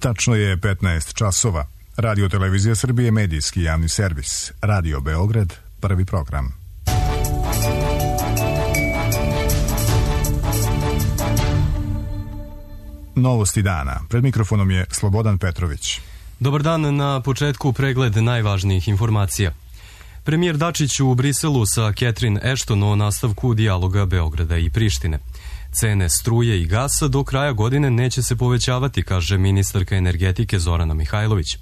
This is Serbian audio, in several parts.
Tačno je 15 časova. Radio Televizija Srbije, medijski javni servis. Radio Beograd, prvi program. Novosti dana. Pred mikrofonom je Slobodan Petrović. Dobar dan, na početku pregled najvažnijih informacija. Premijer Dačić u Briselu sa Catherine Ashton o nastavku dijaloga Beograda i Prištine. Cene struje i gasa do kraja godine neće se povećavati, kaže ministarka energetike Zorana Mihajlović.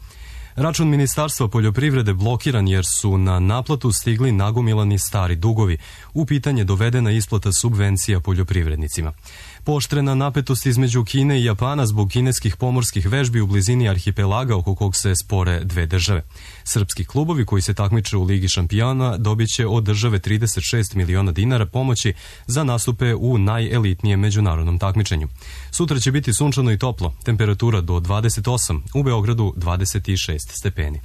Račun Ministarstva poljoprivrede blokiran jer su na naplatu stigli nagomilani stari dugovi. U pitanje dovedena isplata subvencija poljoprivrednicima. Pooštrena napetost između Kine i Japana zbog kineskih pomorskih vežbi u blizini arhipelaga oko kog se spore dve države. Srpski klubovi koji se takmiče u Ligi šampiona dobit će od države 36 miliona dinara pomoći za nastupe u najelitnijem međunarodnom takmičenju. Sutra će biti sunčano i toplo, temperatura do 28, u Beogradu 26 stepeni.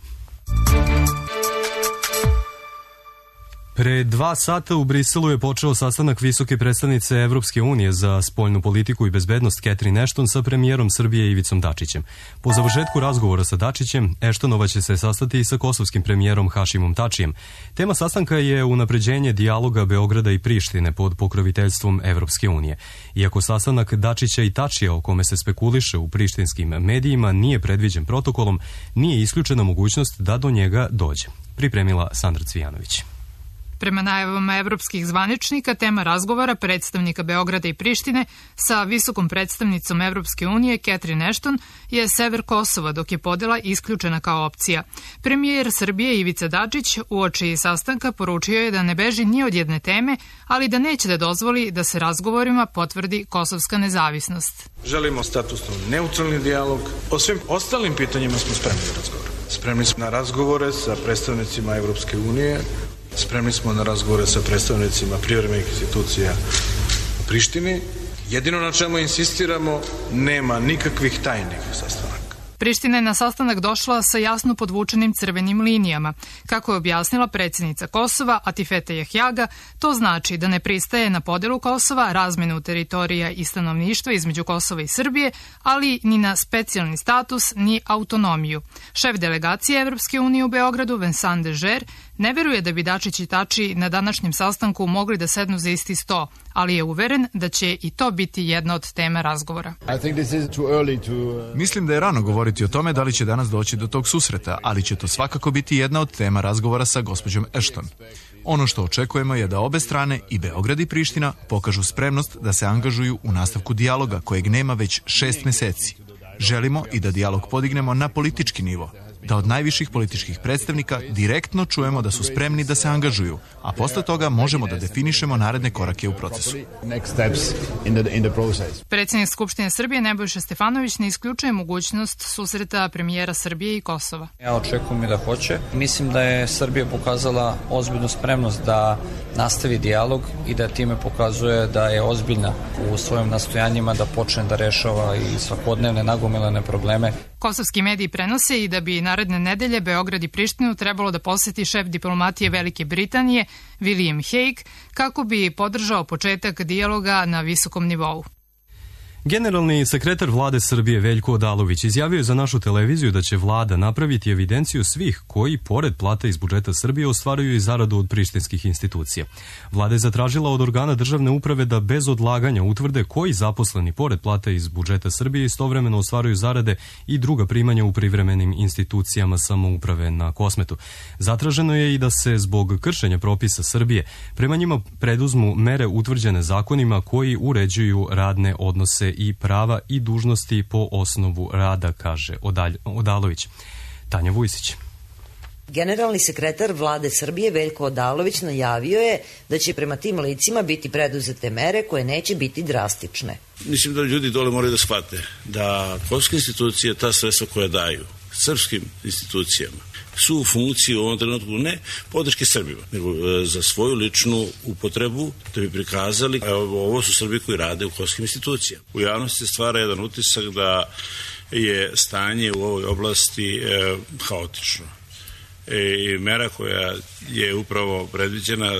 Pre 2 sata u Briselu je počeo sastanak visoke predstavnice Evropske unije za spoljnu politiku i bezbednost Catherine Ashton sa premijerom Srbije Ivicom Dačićem. Po završetku razgovora sa Dačićem, Ashtonova će se sastati i sa kosovskim premijerom Hašimom Tačijem. Tema sastanka je unapređenje dijaloga Beograda i Prištine pod pokroviteljstvom Evropske unije. Iako sastanak Dačića i Tačija, o kome se spekuliše u prištinskim medijima, nije predviđen protokolom, nije isključena mogućnost da do njega dođe. Pripremila Sandra Cvijanović. Prema najavama evropskih zvaničnika, tema razgovora predstavnika Beograda i Prištine sa visokom predstavnicom Evropske unije Catherine Ashton je sever Kosova, dok je podela isključena kao opcija. Premijer Srbije Ivica Dačić uoči sastanka poručio je da ne beži ni od jedne teme, ali da neće da dozvoli da se razgovorima potvrdi kosovska nezavisnost. Želimo statusno neutralni dijalog. O svim ostalim pitanjima smo spremni da razgovaramo. Spremni smo na razgovore sa predstavnicima Evropske unije. Spremni smo na razgovore sa predstavnicima privremenih institucija u Prištini. Jedino na čemu insistiramo, nema nikakvih tajnih sastanaka. Priština je na sastanak došla sa jasno podvučenim crvenim linijama. Kako je objasnila predsjednica Kosova, Atifete Jahjaga, to znači da ne pristaje na podelu Kosova, razmenu teritorija i stanovništva između Kosova i Srbije, ali ni na specijalni status, ni autonomiju. Šef delegacije Evropske unije u Beogradu, Vincent Dežer, ne veruje da bi Dačić i Tači na današnjem sastanku mogli da sednu za isti sto, ali je uveren da će i to biti jedna od tema razgovora. Mislim da je rano govoriti o tome da li će danas doći do tog susreta, ali će to svakako biti jedna od tema razgovora sa gospođom Ashton. Ono što očekujemo je da obe strane, i Beograd i Priština, pokažu spremnost da se angažuju u nastavku dijaloga kojeg nema već 6 meseci. Želimo i da dijalog podignemo na politički nivo, da od najviših političkih predstavnika direktno čujemo da su spremni da se angažuju, a posle toga možemo da definišemo naredne korake u procesu. Predsjednik Skupštine Srbije Nebojša Stefanović ne isključuje mogućnost susreta premijera Srbije i Kosova. Ja očekujem i da hoće. Mislim da je Srbija pokazala ozbiljnu spremnost da nastavi dijalog i da time pokazuje da je ozbiljna u svojim nastojanjima da počne da rešava i svakodnevne nagomilane probleme. Kosovski mediji prenose i da bi naredne nedelje Beograd i Prištinu trebalo da poseti šef diplomatije Velike Britanije William Hague kako bi podržao početak dijaloga na visokom nivou. Generalni sekretar vlade Srbije Veljko Odalović izjavio je za našu televiziju da će vlada napraviti evidenciju svih koji, pored plata iz budžeta Srbije, ostvaruju i zaradu od prištinskih institucija. Vlada je zatražila od organa državne uprave da bez odlaganja utvrde koji zaposleni, pored plata iz budžeta Srbije, istovremeno ostvaruju zarade i druga primanja u privremenim institucijama samouprave na Kosmetu. Zatraženo je i da se zbog kršenja propisa Srbije prema njima preduzmu mere utvrđene zakonima koji uređuju radne odnose i prava i dužnosti po osnovu rada, kaže Odalović. Tanja Vujsić. Generalni sekretar vlade Srbije Veljko Odalović najavio je da će prema tim licima biti preduzete mere koje neće biti drastične. Mislim da ljudi dole moraju da shvate da kosovske institucije ta sredstva koja daju srpskim institucijama su u funkciji u ovom trenutku ne podrške Srbima, nego za svoju ličnu upotrebu da bi prikazali ovo su Srbi koji rade u kosovskim institucijama. U javnosti se stvara jedan utisak da je stanje u ovoj oblasti haotično. I mera koja je upravo predviđena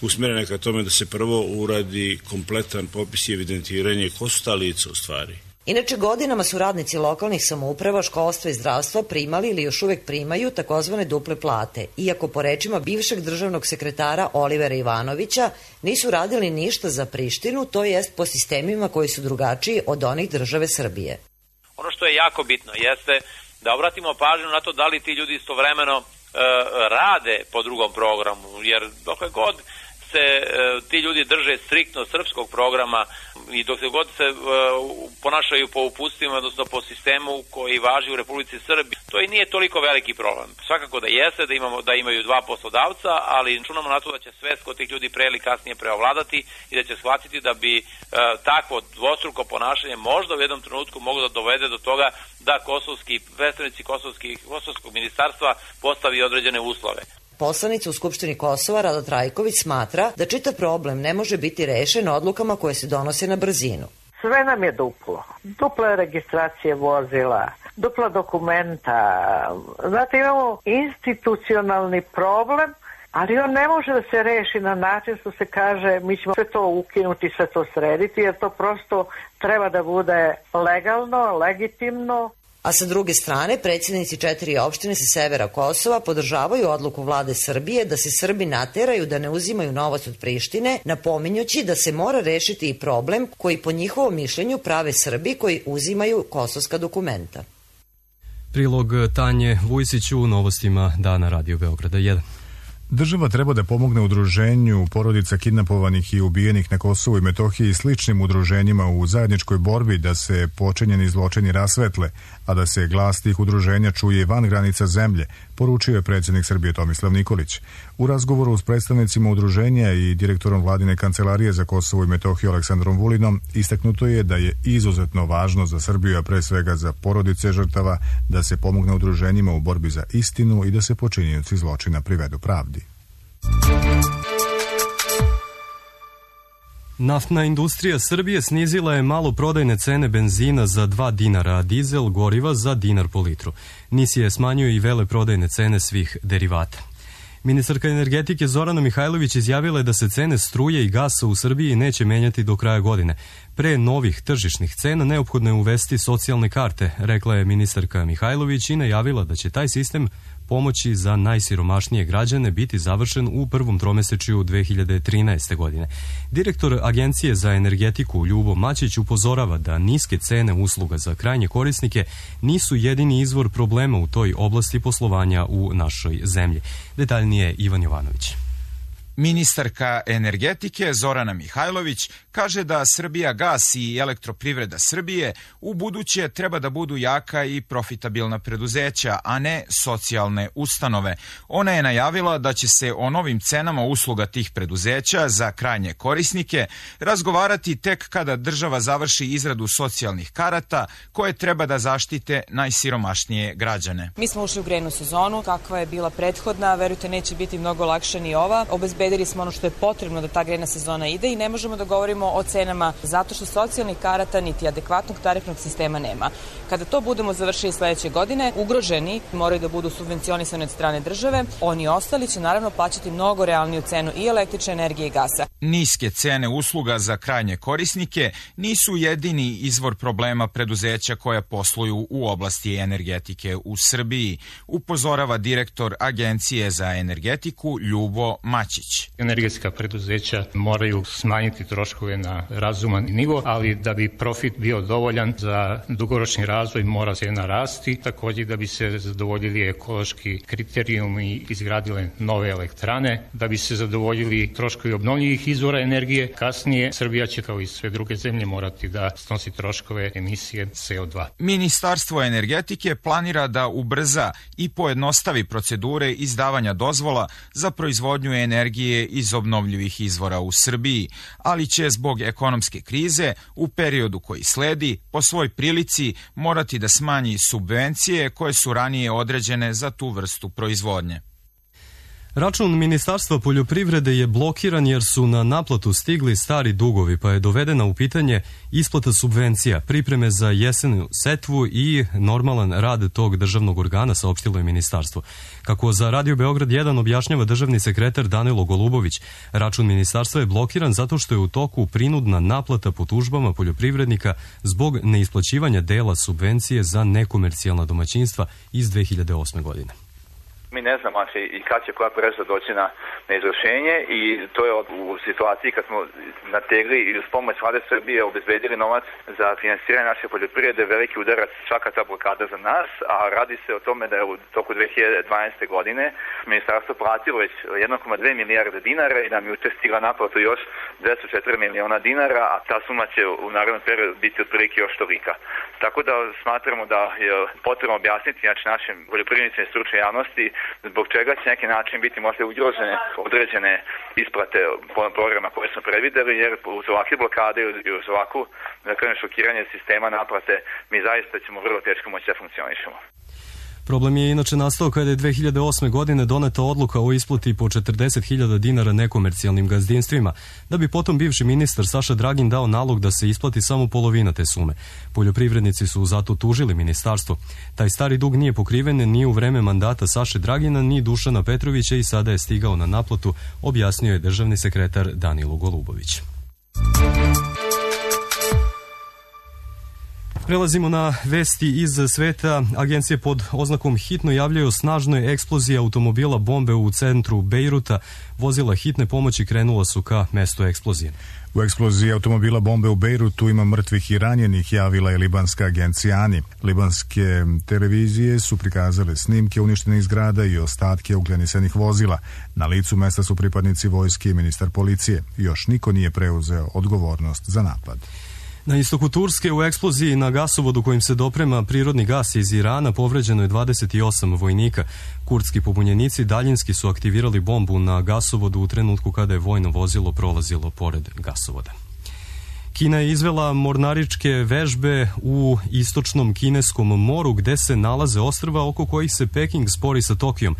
usmjerena ka tome da se prvo uradi kompletan popis i evidentiranje ko su ta lica u stvari. Inače, godinama su radnici lokalnih samouprava, školstva i zdravstva primali ili još uvek primaju takozvane duple plate, iako po rečima bivšeg državnog sekretara Olivera Ivanovića nisu radili ništa za Prištinu, to jest po sistemima koji su drugačiji od onih države Srbije. Ono što je jako bitno jeste da obratimo pažnju na to da li ti ljudi istovremeno rade po drugom programu, jer dokle god se ti ljudi drže striktno srpskog programa i dok se god se ponašaju po uputstvima, odnosno po sistemu koji važi u Republici Srbiji, to i nije toliko veliki problem. Svakako da jeste da imaju dva poslodavca, ali računamo na to da će svest kod tih ljudi pre ili kasnije preovladati i da će shvatiti da bi takvo dvostruko ponašanje možda u jednom trenutku moglo da dovede do toga da predstavnici kosovskog ministarstva postavi određene uslove. Poslanica u Skupštini Kosova Rada Trajković smatra da čitav problem ne može biti rešen odlukama koje se donose na brzinu. Sve nam je duplo. Dupla registracije vozila, dupla dokumenta. Znate, imamo institucionalni problem, ali on ne može da se reši na način što se kaže mi ćemo sve to ukinuti, sve to srediti, jer to prosto treba da bude legalno, legitimno. A sa druge strane, predsjednici 4 opštine sa severa Kosova podržavaju odluku vlade Srbije da se Srbi nateraju da ne uzimaju novac od Prištine, napominjući da se mora rešiti i problem koji po njihovom mišljenju prave Srbi koji uzimaju kosovska dokumenta. Prilog Tanje Vujsić u novostima Dana Radio Beograda 1. Država treba da pomogne udruženju porodica kidnapovanih i ubijenih na Kosovu i Metohiji i sličnim udruženjima u zajedničkoj borbi da se počinjeni zločini rasvetle, a da se glas tih udruženja čuje van granica zemlje, poručio je predsjednik Srbije Tomislav Nikolić. U razgovoru s predstavnicima udruženja i direktorom vladine kancelarije za Kosovo i Metohiju Aleksandrom Vulinom istaknuto je da je izuzetno važno za Srbiju, a pre svega za porodice žrtava, da se pomogne udruženjima u borbi za istinu i da se počinioci zločina privedu pravdi. Naftna industrija Srbije snizila je maloprodajne cene benzina za 2 dinara, a dizel goriva za dinar po litru. NIS je smanjio i veleprodajne cene svih derivata. Ministarka energetike Zorana Mihajlović izjavila je da se cene struje i gasa u Srbiji neće menjati do kraja godine. Pre novih tržišnih cena neophodno je uvesti socijalne karte, rekla je ministarka Mihajlović i najavila da će taj sistem pomoći za najsiromašnije građane biti završen u prvom tromesečju 2013. godine. Direktor Agencije za energetiku Ljubo Mačić upozorava da niske cene usluga za krajnje korisnike nisu jedini izvor problema u toj oblasti poslovanja u našoj zemlji. Detaljnije Ivan Jovanović. Ministarka energetike Zorana Mihajlović kaže da Srbijagas i Elektroprivreda Srbije u buduće treba da budu jaka i profitabilna preduzeća, a ne socijalne ustanove. Ona je najavila da će se o novim cenama usluga tih preduzeća za krajnje korisnike razgovarati tek kada država završi izradu socijalnih karata koje treba da zaštite najsiromašnije građane. Mi smo ušli u grejnu sezonu, kakva je bila prethodna, verujte neće biti mnogo lakša ni ova. Obezbedili smo ono što je potrebno da ta grejna sezona ide i ne možemo da govorimo o cenama zato što socijalnih karata niti adekvatnog tarifnog sistema nema. Kada to budemo završili sledeće godine, ugroženi moraju da budu subvencionisani od strane države, oni ostali će naravno plaćati mnogo realniju cenu i električne energije i gasa. Niske cene usluga za krajnje korisnike nisu jedini izvor problema preduzeća koja posluju u oblasti energetike u Srbiji, upozorava direktor Agencije za energetiku Ljubo Mačić. Energetska preduzeća moraju smanjiti troškove na razuman nivo, ali da bi profit bio dovoljan za dugoročni razvoj mora cena rasti, takođe da bi se zadovoljili ekološki kriterijumi i izgradile nove elektrane, da bi se zadovoljili troškovi obnovljivih izvora energije. Kasnije Srbija će kao i sve druge zemlje morati da snosi troškove emisije CO2. Ministarstvo energetike planira da ubrza i pojednostavi procedure izdavanja dozvola za proizvodnju energije iz obnovljivih izvora u Srbiji, ali će zbog ekonomske krize u periodu koji sledi po svoj prilici morati da smanji subvencije koje su ranije određene za tu vrstu proizvodnje. Račun Ministarstva poljoprivrede je blokiran jer su na naplatu stigli stari dugovi, pa je dovedena u pitanje isplata subvencija, pripreme za jesenu setvu i normalan rad tog državnog organa, saopštilo je ministarstvo. Kako za Radio Beograd 1 objašnjava državni sekretar Danilo Golubović, račun ministarstva je blokiran zato što je u toku prinudna naplata po tužbama poljoprivrednika zbog neisplaćivanja dela subvencije za nekomercijalna domaćinstva iz 2008. godine. Mi ne znamo i kad će koja presuda doći na izvršenje i to je u situaciji kad smo nategli i uz pomoć Vlade Srbije obezbedili novac za finansiranje naše poljoprivrede, veliki udarac svaka ta blokada za nas, a radi se o tome da je u toku 2012. godine ministarstvo platilo već 1,2 milijarde dinara i nam je juče stigla naplatu još 204 miliona dinara, a ta suma će u narednom periodu biti otprilike još tolika. Tako da smatramo da je potrebno objasniti našim poljoprivrednicima i stručnoj javnosti zbog čega će neki način biti možda ugrožene određene isplate programa koje smo predvideli, jer uz ovakve blokade i uz ovakvu šokiranje sistema naplate mi zaista ćemo vrlo teško moći da funkcionišemo. Problem je inače nastao kada je 2008. godine doneta odluka o isplati po 40.000 dinara nekomercijalnim gazdinstvima, da bi potom bivši ministar Saša Dragin dao nalog da se isplati samo polovina te sume. Poljoprivrednici su zato tužili ministarstvo. Taj stari dug nije pokriven ni u vreme mandata Saše Dragina, ni Dušana Petrovića i sada je stigao na naplatu, objasnio je državni sekretar Danilo Golubović. Prelazimo na vesti iz sveta. Agencije pod oznakom hitno javljaju o snažnoj eksploziji automobila bombe u centru Bejruta. Vozila hitne pomoći krenula su ka mestu eksplozije. U eksploziji automobila bombe u Bejrutu ima mrtvih i ranjenih, javila je libanska agencija ANI. Libanske televizije su prikazale snimke uništenih zgrada i ostatke ugljenisanih vozila. Na licu mesta su pripadnici vojske i ministar policije. Još niko nije preuzeo odgovornost za napad. Na istoku Turske u eksploziji na gasovodu kojim se doprema prirodni gas iz Irana povređeno je 28 vojnika. Kurdski pobunjenici daljinski su aktivirali bombu na gasovodu u trenutku kada je vojno vozilo prolazilo pored gasovoda. Kina je izvela mornaričke vežbe u istočnom kineskom moru gde se nalaze ostrva oko kojih se Peking spori sa Tokijom.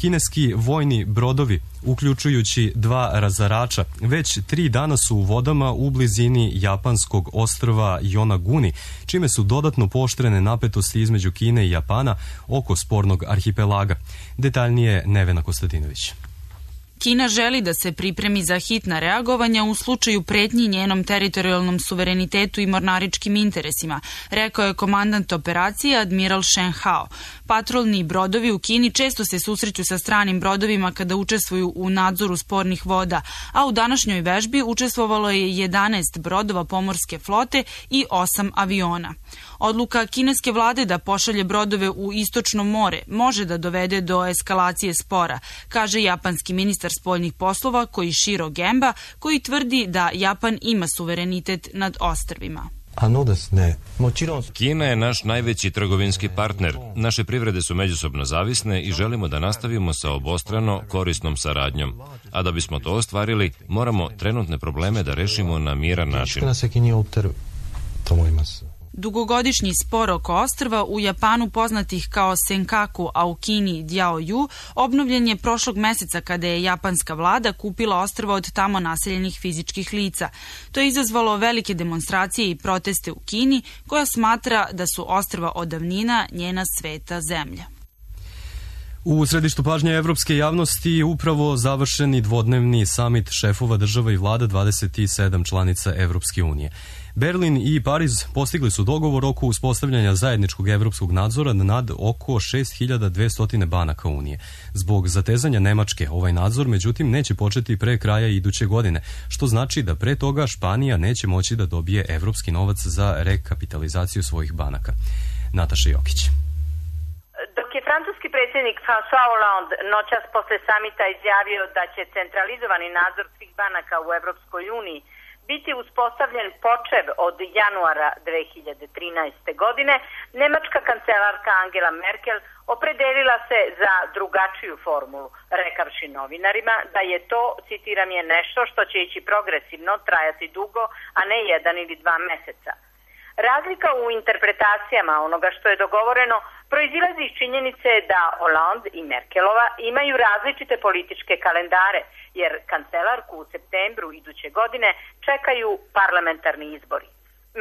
Kineski vojni brodovi, uključujući 2 razarača, već 3 dana su u vodama u blizini japanskog ostrva Yonaguni, čime su dodatno pooštrene napetosti između Kine i Japana oko spornog arhipelaga. Detaljnije Nevena Kostadinović. Kina želi da se pripremi za hitna reagovanja u slučaju pretnji njenom teritorijalnom suverenitetu i mornaričkim interesima, rekao je komandant operacije admiral Shen Hao. Patrolni brodovi u Kini često se susreću sa stranim brodovima kada učestvuju u nadzoru spornih voda, a u današnjoj vežbi učestvovalo je 11 brodova pomorske flote i 8 aviona. Odluka kineske vlade da pošalje brodove u istočno more može da dovede do eskalacije spora, kaže japanski ministar spoljnih poslova Koichiro Gemba, koji tvrdi da Japan ima suverenitet nad ostrvima. Kina je naš najveći trgovinski partner. Naše privrede su međusobno zavisne i želimo da nastavimo sa obostrano korisnom saradnjom. A da bismo to ostvarili, moramo trenutne probleme da rešimo na miran način. Dugogodišnji spor oko ostrva u Japanu poznatih kao Senkaku, a u Kini Diaoyu, obnovljen je prošlog meseca kada je japanska vlada kupila ostrva od tamo naseljenih fizičkih lica. To je izazvalo velike demonstracije i proteste u Kini, koja smatra da su ostrva od davnina njena sveta zemlja. U središtu pažnje evropske javnosti upravo završeni dvodnevni samit šefova država i vlada 27 članica Evropske unije. Berlin i Pariz postigli su dogovor oko uspostavljanja zajedničkog evropskog nadzora nad oko 6200 banaka Unije. Zbog zatezanja Nemačke ovaj nadzor, međutim, neće početi pre kraja iduće godine, što znači da pre toga Španija neće moći da dobije evropski novac za rekapitalizaciju svojih banaka. Nataša Jokić. Dok je francuski predsjednik François Hollande noćas posle samita izjavio da će centralizovani nadzor svih banaka u Evropskoj uniji biti uspostavljen počev od januara 2013. godine, nemačka kancelarka Angela Merkel opredelila se za drugačiju formulu, rekavši novinarima da je to, citiram, je nešto što će ići progresivno, trajati dugo, a ne 1 ili 2 meseca. Razlika u interpretacijama onoga što je dogovoreno proizilazi iz činjenice da Hollande i Merkelova imaju različite političke kalendare, jer kancelarku u septembru iduće godine čekaju parlamentarni izbori.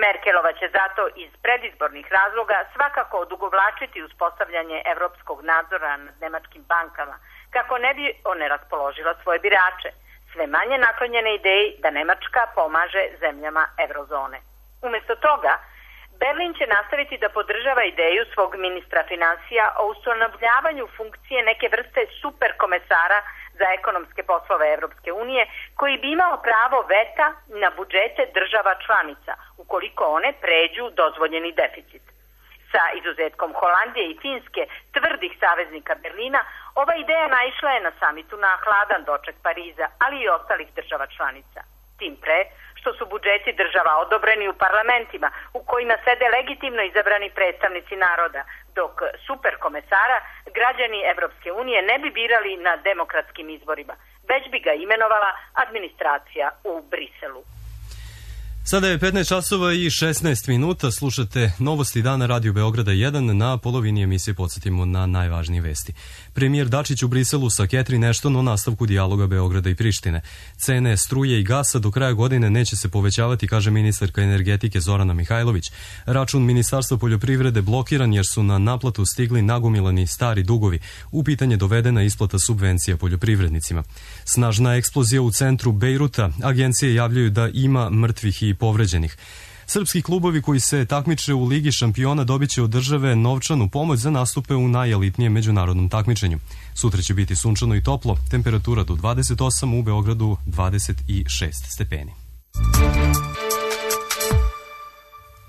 Merkelova će zato iz predizbornih razloga svakako odugovlačiti uspostavljanje evropskog nadzora nad nemačkim bankama, kako ne bi oneraspoložila svoje birače, sve manje naklonjene ideji da Nemačka pomaže zemljama eurozone. Umesto toga, Berlin će nastaviti da podržava ideju svog ministra finansija o ustanovljavanju funkcije neke vrste superkomesara za ekonomske poslove Evropske unije, koji bi imao pravo veta na budžete država članica, ukoliko one pređu dozvoljeni deficit. Sa izuzetkom Holandije i Finske, tvrdih saveznika Berlina, ova ideja naišla je na samitu na hladan doček Pariza, ali i ostalih država članica. Tim pre, što su budžeti država odobreni u parlamentima u kojima sede legitimno izabrani predstavnici naroda, dok superkomesara građani Evropske unije ne bi birali na demokratskim izborima, već bi ga imenovala administracija u Briselu. Sada je 15 časova i 16 minuta, slušate Novosti dana Radio Beograda 1, na polovini emisije podsjetimo na najvažnije vesti. Premijer Dačić u Briselu sa Catherine Ashton o nastavku dijaloga Beograda i Prištine. Cene struje i gasa do kraja godine neće se povećavati, kaže ministarka energetike Zorana Mihajlović. Račun Ministarstva poljoprivrede blokiran jer su na naplatu stigli nagomilani stari dugovi. U pitanje dovedena isplata subvencija poljoprivrednicima. Snažna eksplozija u centru Bejruta. Agencije javljaju da ima mrtvih i povređenih. Srpski klubovi koji se takmiče u Ligi šampiona dobit će od države novčanu pomoć za nastupe u najelitnijem međunarodnom takmičenju. Sutra će biti sunčano i toplo, temperatura do 28, u Beogradu 26 stepeni.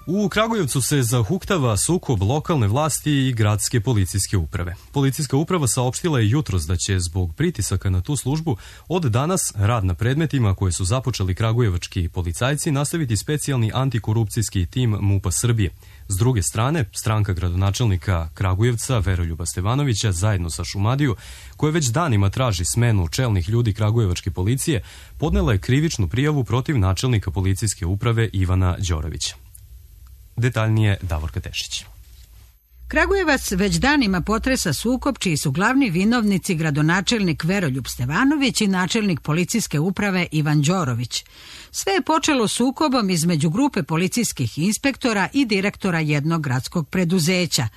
U Kragujevcu se zahuktava sukob lokalne vlasti i gradske policijske uprave. Policijska uprava saopštila je jutros da će zbog pritisaka na tu službu od danas rad na predmetima koje su započeli kragujevački policajci nastaviti specijalni antikorupcijski tim MUP-a Srbije. S druge strane, stranka gradonačelnika Kragujevca Veroljuba Stevanovića zajedno sa Šumadiju, koja već danima traži smenu čelnih ljudi kragujevačke policije, podnela je krivičnu prijavu protiv načelnika policijske uprave Ivana Đorovića. Detaljnije Davorka Tešić. Kragujevac već danima potresa sukob čiji su glavni vinovnici gradonačelnik Veroljub Stevanović i načelnik policijske uprave Ivan Đorović. Sve je počelo sukobom između grupe policijskih inspektora i direktora jednog gradskog preduzeća.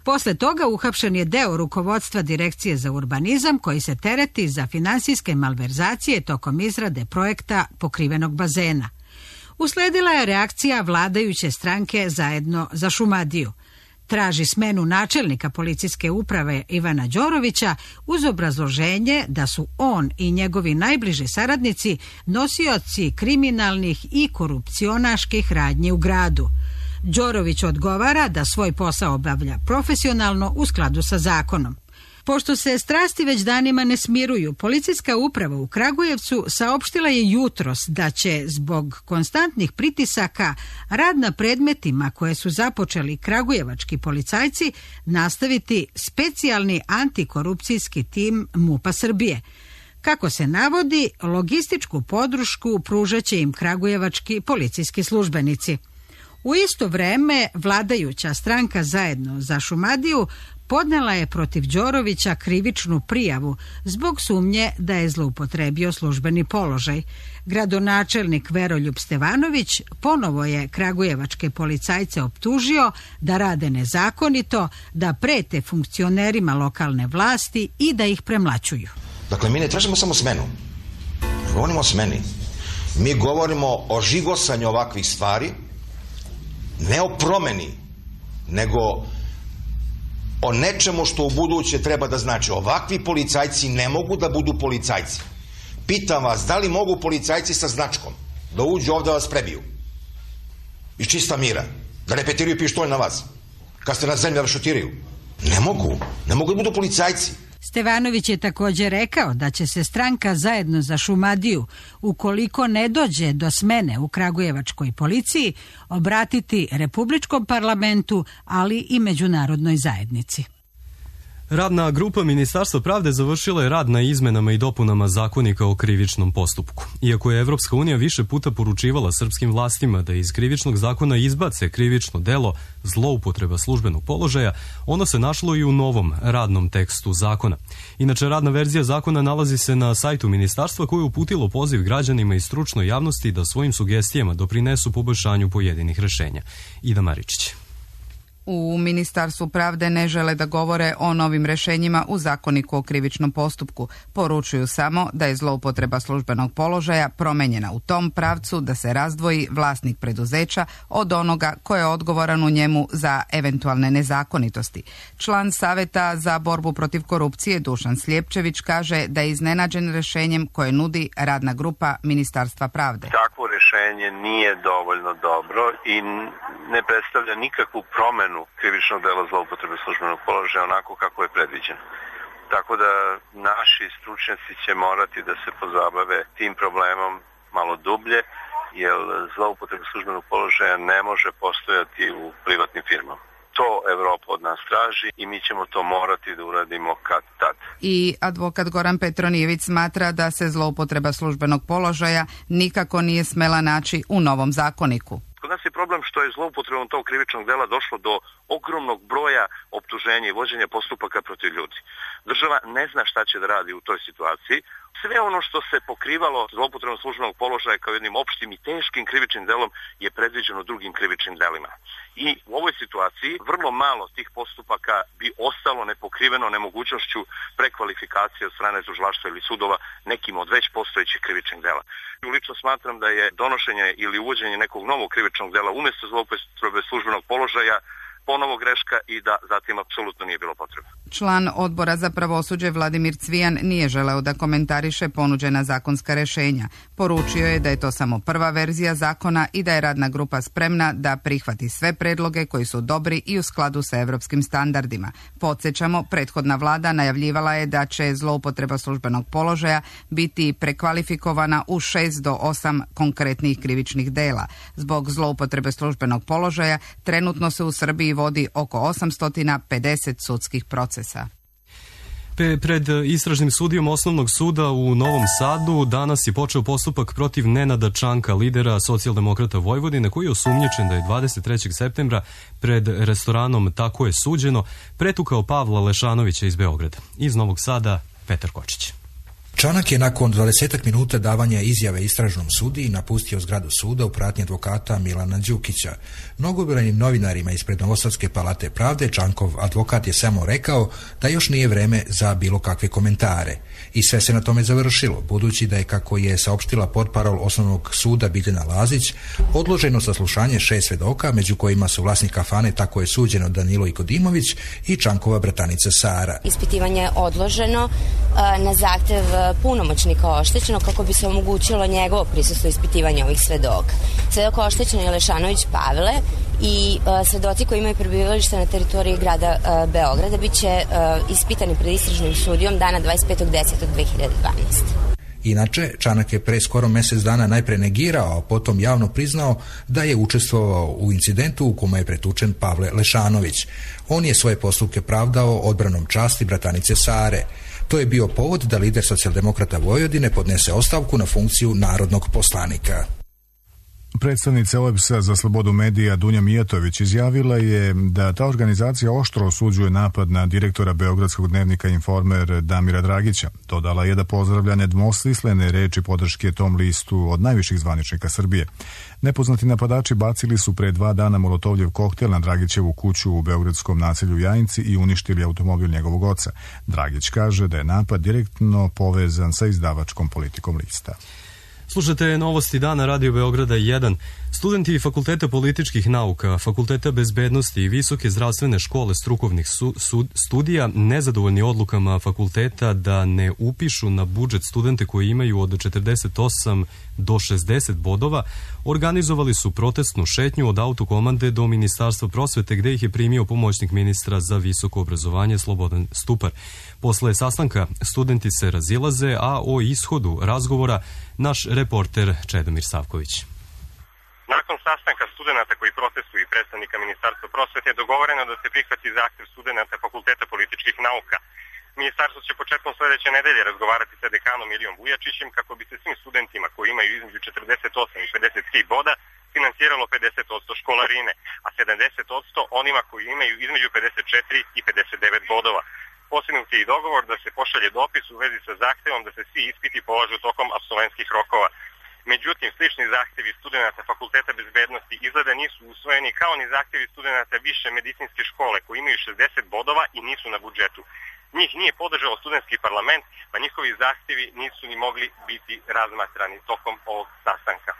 Posle toga uhapšen je deo rukovodstva Direkcije za urbanizam koji se tereti za finansijske malverzacije tokom izrade projekta pokrivenog bazena. Usledila je reakcija vladajuće stranke Zajedno za Šumadiju. Traži smenu načelnika policijske uprave Ivana Đorovića uz obrazloženje da su on i njegovi najbliži saradnici nosioci kriminalnih i korupcionaških radnji u gradu. Đorović odgovara da svoj posao obavlja profesionalno u skladu sa zakonom. Pošto se strasti već danima ne smiruju, policijska uprava u Kragujevcu saopštila je jutros da će zbog konstantnih pritisaka rad na predmetima koje su započeli kragujevački policajci nastaviti specijalni antikorupcijski tim MUP-a Srbije. Kako se navodi, logističku podršku pružaće im kragujevački policijski službenici. U isto vreme vladajuća stranka Zajedno za Šumadiju podnela je protiv Đorovića krivičnu prijavu zbog sumnje da je zloupotrebio službeni položaj. Gradonačelnik Veroljub Stevanović ponovo je kragujevačke policajce optužio da rade nezakonito, da prete funkcionerima lokalne vlasti i da ih premlaćuju. Dakle, mi ne tražimo samo smenu. Ne govorimo o smeni. Mi govorimo o žigosanju ovakvih stvari, ne o promeni, nego o nečemu što u buduće treba da znači. Ovakvi policajci ne mogu da budu policajci. Pitam vas, da li mogu policajci sa značkom da uđu ovde da vas prebiju? Iz čista mira. Da repetiraju pištolj na vas. Kad ste na zemlji da šutiraju. Ne mogu. Ne mogu da budu policajci. Stevanović je također rekao da će se stranka Zajedno za Šumadiju, ukoliko ne dođe do smene u kragujevačkoj policiji, obratiti Republičkom parlamentu, ali i međunarodnoj zajednici. Radna grupa Ministarstva pravde završila je rad na izmenama i dopunama zakonika o krivičnom postupku. Iako je Evropska unija više puta poručivala srpskim vlastima da iz krivičnog zakona izbace krivično delo zloupotreba službenog položaja, ono se našlo i u novom radnom tekstu zakona. Inače, radna verzija zakona nalazi se na sajtu ministarstva koje je uputilo poziv građanima i stručnoj javnosti da svojim sugestijama doprinesu poboljšanju pojedinih rešenja. Ida Maričić. U Ministarstvu pravde ne žele da govore o novim rešenjima u zakoniku o krivičnom postupku. Poručuju samo da je zloupotreba službenog položaja promenjena u tom pravcu da se razdvoji vlasnik preduzeća od onoga ko je odgovoran u njemu za eventualne nezakonitosti. Član Saveta za borbu protiv korupcije Dušan Sljepčević kaže da je iznenađen rešenjem koje nudi radna grupa Ministarstva pravde. Takvo rešenje nije dovoljno dobro i ne predstavlja nikakvu promenu krivičnog dela zloupotrebe službenog položaja onako kako je predviđeno. Tako da naši stručnjaci će morati da se pozabave tim problemom malo dublje, jer zloupotreba službenog položaja ne može postojati u privatnim firmama. To Evropa od nas traži i mi ćemo to morati da uradimo kad tad. I advokat Goran Petronijević smatra da se zloupotreba službenog položaja nikako nije smela naći u novom zakoniku. Kod nas je problem što je zloupotrebom tog krivičnog dela došlo do ogromnog broja optuženja i vođenja postupaka protiv ljudi. Država ne zna šta će da radi u toj situaciji. Sve ono što se pokrivalo zloupotrebom službenog položaja kao jednim opštim i teškim krivičnim delom je predviđeno drugim krivičnim delima. I u ovoj situaciji vrlo malo tih postupaka bi ostalo nepokriveno nemogućnošću prekvalifikacije od strane tužilaštva ili sudova nekim od već postojećih krivičnih dela. Lično smatram da je donošenje ili uvođenje nekog novog krivičnog dela umjesto zloupotrebe službenog položaja ponovo greška i da zatim apsolutno nije bilo potrebe. Član odbora za pravosuđe Vladimir Cvijan nije želeo da komentariše ponuđena zakonska rešenja. Poručio je da je to samo prva verzija zakona i da je radna grupa spremna da prihvati sve predloge koji su dobri i u skladu sa evropskim standardima. Podsjećamo, prethodna vlada najavljivala je da će zloupotreba službenog položaja biti prekvalifikovana u 6 do 8 konkretnih krivičnih dela. Zbog zloupotrebe službenog položaja trenutno se u Srbiji vodi oko 850 sudskih procesa. Pred istražnim sudijom Osnovnog suda u Novom Sadu danas je počeo postupak protiv Nenada Čanka, lidera Socijaldemokrata Vojvodine, koji je osumnjičen da je 23. septembra pred restoranom Tako je suđeno pretukao Pavla Lešanovića iz Beograda. Iz Novog Sada, Petar Kočić. Čanak je nakon 20 minuta davanja izjave istražnom sudiji napustio zgradu suda u pratnji advokata Milana Đukića. Mnogobrojnim novinarima ispred Novosadske palate pravde Čankov advokat je samo rekao da još nije vreme za bilo kakve komentare. I sve se na tome završilo, budući da je, kako je saopštila portparol Osnovnog suda Biljana Lazić, odloženo saslušanje 6 svedoka, među kojima su vlasnik kafane Tako je suđeno Danilo Ikodimović i Čankova bratanica Sara. Ispitivanje je odloženo na zahtev punomoćnika oštećenog kako bi se omogućilo njegovo prisustvo ispitivanja ovih svedoka. Svedok oštećen je Lešanović Pavle i svedoci koji imaju prebivalište na teritoriji grada Beograda bit će ispitani pred istražnim sudijom dana 25.10.2012. Inače, Čanak je pre skoro mjesec dana najpre negirao, a potom javno priznao da je učestvovao u incidentu u kome je pretučen Pavle Lešanović. On je svoje postupke pravdao odbranom časti bratanice Sare. To je bio povod da lider Socijaldemokrata Vojvodine podnese ostavku na funkciju narodnog poslanika. Predstavnica OEBS-a za slobodu medija Dunja Mijatović izjavila je da ta organizacija oštro osuđuje napad na direktora beogradskog dnevnika Informer Damira Dragića. Dodala je da pozdravlja nedvosmislene reči podrške tom listu od najviših zvaničnika Srbije. Nepoznati napadači bacili su pre 2 dana molotovljev koktel na Dragićevu kuću u beogradskom naselju Jajinci i uništili automobil njegovog oca. Dragić kaže da je napad direktno povezan sa izdavačkom politikom lista. Slušate novosti dana Radio Beograda 1. Studenti Fakulteta političkih nauka, Fakulteta bezbednosti i Visoke zdravstvene škole strukovnih studija nezadovoljni odlukama fakulteta da ne upišu na budžet studente koji imaju od 48 do 60 bodova, organizovali su protestnu šetnju od autokomande do Ministarstva prosvete gde ih je primio pomoćnik ministra za visoko obrazovanje Slobodan Stupar. Posle sastanka studenti se razilaze, a o ishodu razgovora naš reporter Čedomir Savković. Nakon sastanka studenta koji protestuju i predstavnika Ministarstva prosvete je dogovoreno da se prihvati zahtev studenta Fakulteta političkih nauka. Ministarstvo će početkom sledeće nedelje razgovarati sa dekanom Ilijom Vujačićem kako bi se svim studentima koji imaju između 48 i 53 boda financiralo 50% školarine, a 70% onima koji imaju između 54 i 59 bodova. Postignut je i dogovor da se pošalje dopis u vezi sa zahtevom da se svi ispiti polažu tokom apsolventskih rokova. Međutim, slični zahtevi studenta Fakulteta bezbednosti izgleda nisu usvojeni kao ni zahtevi studenta više medicinske škole koji imaju 60 bodova i nisu na budžetu. Njih nije podržao studentski parlament, pa njihovi zahtevi nisu ni mogli biti razmatrani tokom ovog sastanka.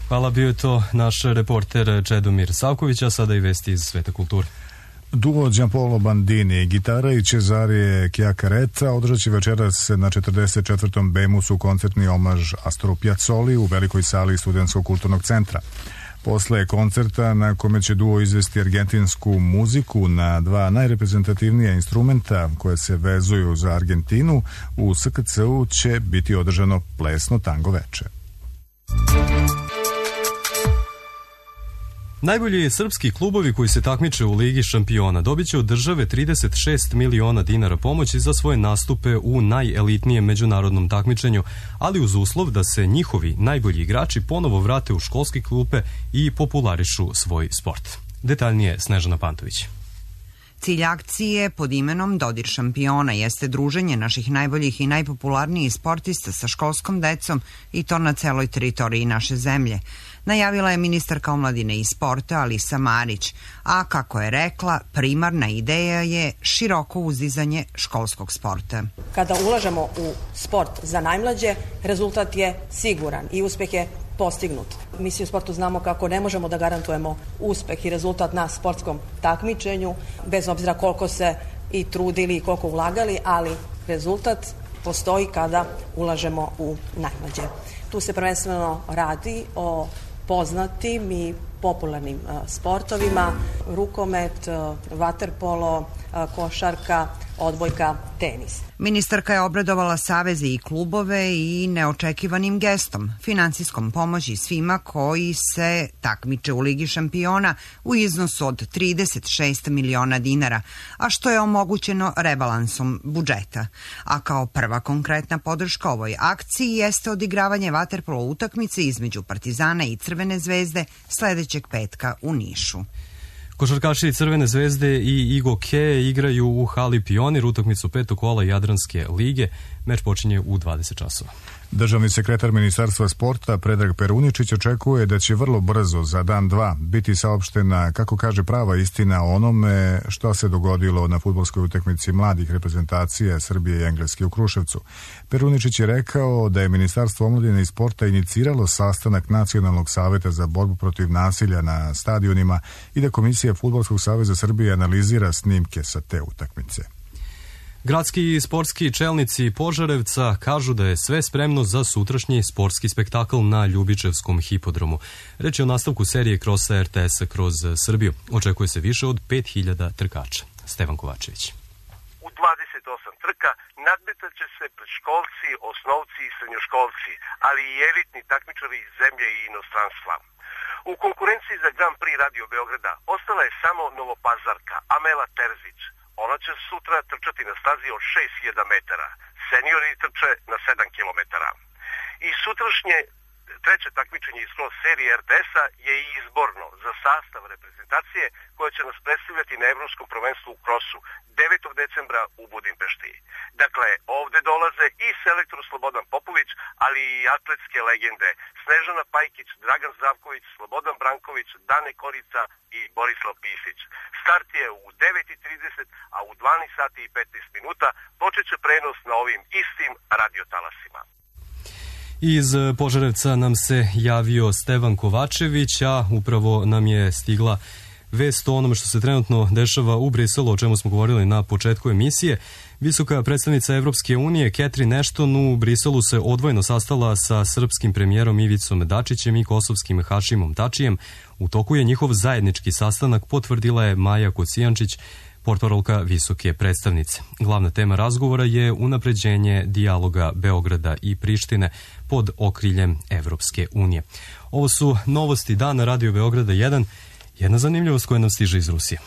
Hvala, bio je to naš reporter Čedomir Savković, a sada i vesti iz sveta kulture. Duo Giampaolo Bandini, gitara i Cesare Chiacaretta održat će večeras na 44. Bemusu koncertni omaž Astoru Piazzoli u velikoj sali Studentskog kulturnog centra. Posle koncerta na kome će duo izvesti argentinsku muziku na dva najreprezentativnija instrumenta koje se vezuju za Argentinu, u SKC-u će biti održano plesno tango veče. Najbolji srpski klubovi koji se takmiče u Ligi šampiona dobit će od države 36 miliona dinara pomoći za svoje nastupe u najelitnijem međunarodnom takmičenju, ali uz uslov da se njihovi najbolji igrači ponovo vrate u školske klupe i popularišu svoj sport. Detaljnije Snežana Pantović. Cilj akcije pod imenom Dodir šampiona jeste druženje naših najboljih i najpopularnijih sportista sa školskom decom i to na celoj teritoriji naše zemlje. Najavila je ministarka omladine i sporta Alisa Marić, a kako je rekla, primarna ideja je široko uzizanje školskog sporta. Kada ulažemo u sport za najmlađe, rezultat je siguran i uspeh je postignut. Mi svi u sportu znamo kako ne možemo da garantujemo uspeh i rezultat na sportskom takmičenju, bez obzira koliko se i trudili i koliko ulagali, ali rezultat postoji kada ulažemo u najmlađe. Tu se prvenstveno radi o poznatim i popularnim sportovima, rukomet, vaterpolo, košarka, odbojka, tenis. Ministarka je obradovala saveze i klubove i neočekivanim gestom, finansijskom pomoći svima koji se takmiče u Ligi šampiona u iznosu od 36 miliona dinara, a što je omogućeno rebalansom budžeta. A kao prva konkretna podrška ovoj akciji jeste odigravanje vaterpolo utakmice između Partizana i Crvene zvezde sledećeg petka u Nišu. Košarkaši Crvene zvezde i Igoke igraju u hali Pionir utakmicu petog kola Jadranske lige. Meč počinje u 20 časova. Državni sekretar Ministarstva sporta Predrag Peruničić očekuje da će vrlo brzo, za dan dva, biti saopštena, kako kaže, prava istina o onome što se dogodilo na fudbalskoj utakmici mladih reprezentacija Srbije i Engleske u Kruševcu. Peruničić je rekao da je Ministarstvo omladine i sporta iniciralo sastanak Nacionalnog saveta za borbu protiv nasilja na stadionima i da Komisija Fudbalskog saveza Srbije analizira snimke sa te utakmice. Gradski i sportski čelnici Požarevca kažu da je sve spremno za sutrašnji sportski spektakl na Ljubičevskom hipodromu. Reč je o nastavku serije krosa RTS-a kroz Srbiju. Očekuje se više od 5000 trkača. Stevan Kovačević. U 28 trka nadmetat će se predškolci, osnovci i srednjoškolci, ali i elitni takmičari iz zemlje i inostranstva. U konkurenciji za Grand Prix Radio Beograda ostala je samo Novopazarka Amela Terzić. Ona će sutra trčati na stazi od 6000 metara. Seniori trče na 7 kilometara. I sutrašnje treće takmičenje iz cross serije RTS-a je i izborno za sastav reprezentacije koja će nas predstavljati na Evropskom prvenstvu u krosu 9. decembra u Budimpešti. Dakle, ovde dolaze i selektor Slobodan Popović, ali i atletske legende Snežana Pajkić, Dragan Zdravković, Slobodan Branković, Dane Korica i Borislav Pisić. Start je u 9:30, a u 12 sati i 15 minuta počet će prenos na ovim istim radiotalasima. Iz Požarevca nam se javio Stevan Kovačević, a upravo nam je stigla vest o onome što se trenutno dešava u Briselu, o čemu smo govorili na početku emisije. Visoka predstavnica Evropske unije Catherine Ashton u Briselu se odvojeno sastala sa srpskim premijerom Ivicom Dačićem i kosovskim Hašimom Tačijem. U toku je njihov zajednički sastanak, potvrdila je Maja Kocijančić, portparolka visoke predstavnice. Glavna tema razgovora je unapređenje dijaloga Beograda i Prištine pod okriljem Evropske unije. Ovo su novosti dana Radio Beograda 1, jedna zanimljivost koja nam stiže iz Rusije.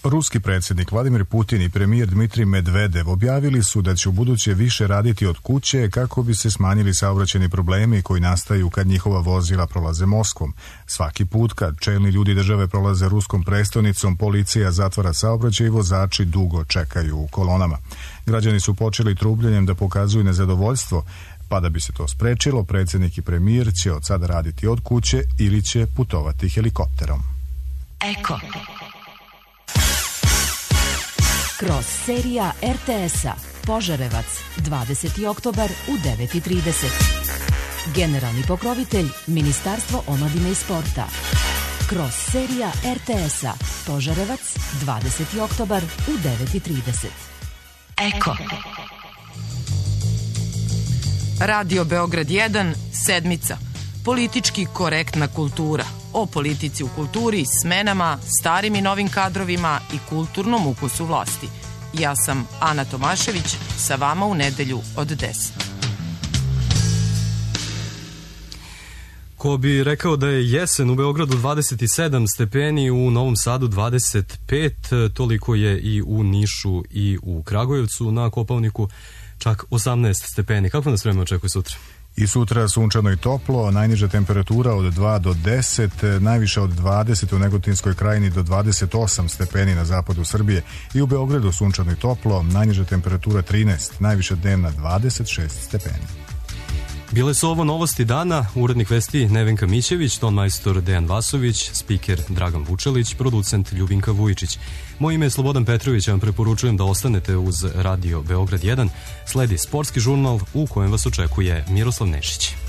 Ruski predsjednik Vladimir Putin i premijer Dmitrij Medvedev objavili su da će ubuduće više raditi od kuće kako bi se smanjili saobraćajni problemi koji nastaju kad njihova vozila prolaze Moskvom. Svaki put kad čelni ljudi države prolaze ruskom prestonicom, policija zatvara saobraćaj i vozači dugo čekaju u kolonama. Građani su počeli trubljenjem da pokazuju nezadovoljstvo, pa da bi se to sprečilo, predsjednik i premijer će od sada raditi od kuće ili će putovati helikopterom. Eko. Kroz serija RTS-a Požarevac, 20. oktobar u 9:30. Generalni pokrovitelj Ministarstvo omladine i sporta. Kroz serija RTS-a Požarevac, 20. oktobar u 9:30. Eko. Radio Beograd 1, sedmica. Politički korektna kultura. O politici u kulturi, smenama, starim i novim kadrovima i kulturnom ukusu vlasti. Ja sam Ana Tomašević, sa vama u nedelju od 10. Ko bi rekao da je jesen u Beogradu 27 stepeni, u Novom Sadu 25, toliko je i u Nišu i u Kragujevcu, na Kopaoniku čak 18 stepeni. Kako nas vreme očekuje sutra? I sutra sunčano i toplo, najniža temperatura od 2 do 10, najviša od 20 u Negotinskoj krajini do 28 stepeni na zapadu Srbije. I u Beogradu sunčano i toplo, najniža temperatura 13, najviša dnevna 26 stepeni. Bile su ovo novosti dana, urednik vesti Nevenka Mićević, tonmajstor Dejan Vasović, spiker Dragan Vučelić, producent Ljubinka Vujičić. Moje ime je Slobodan Petrović, vam preporučujem da ostanete uz Radio Beograd 1. Sledi sportski žurnal u kojem vas očekuje Miroslav Nešić.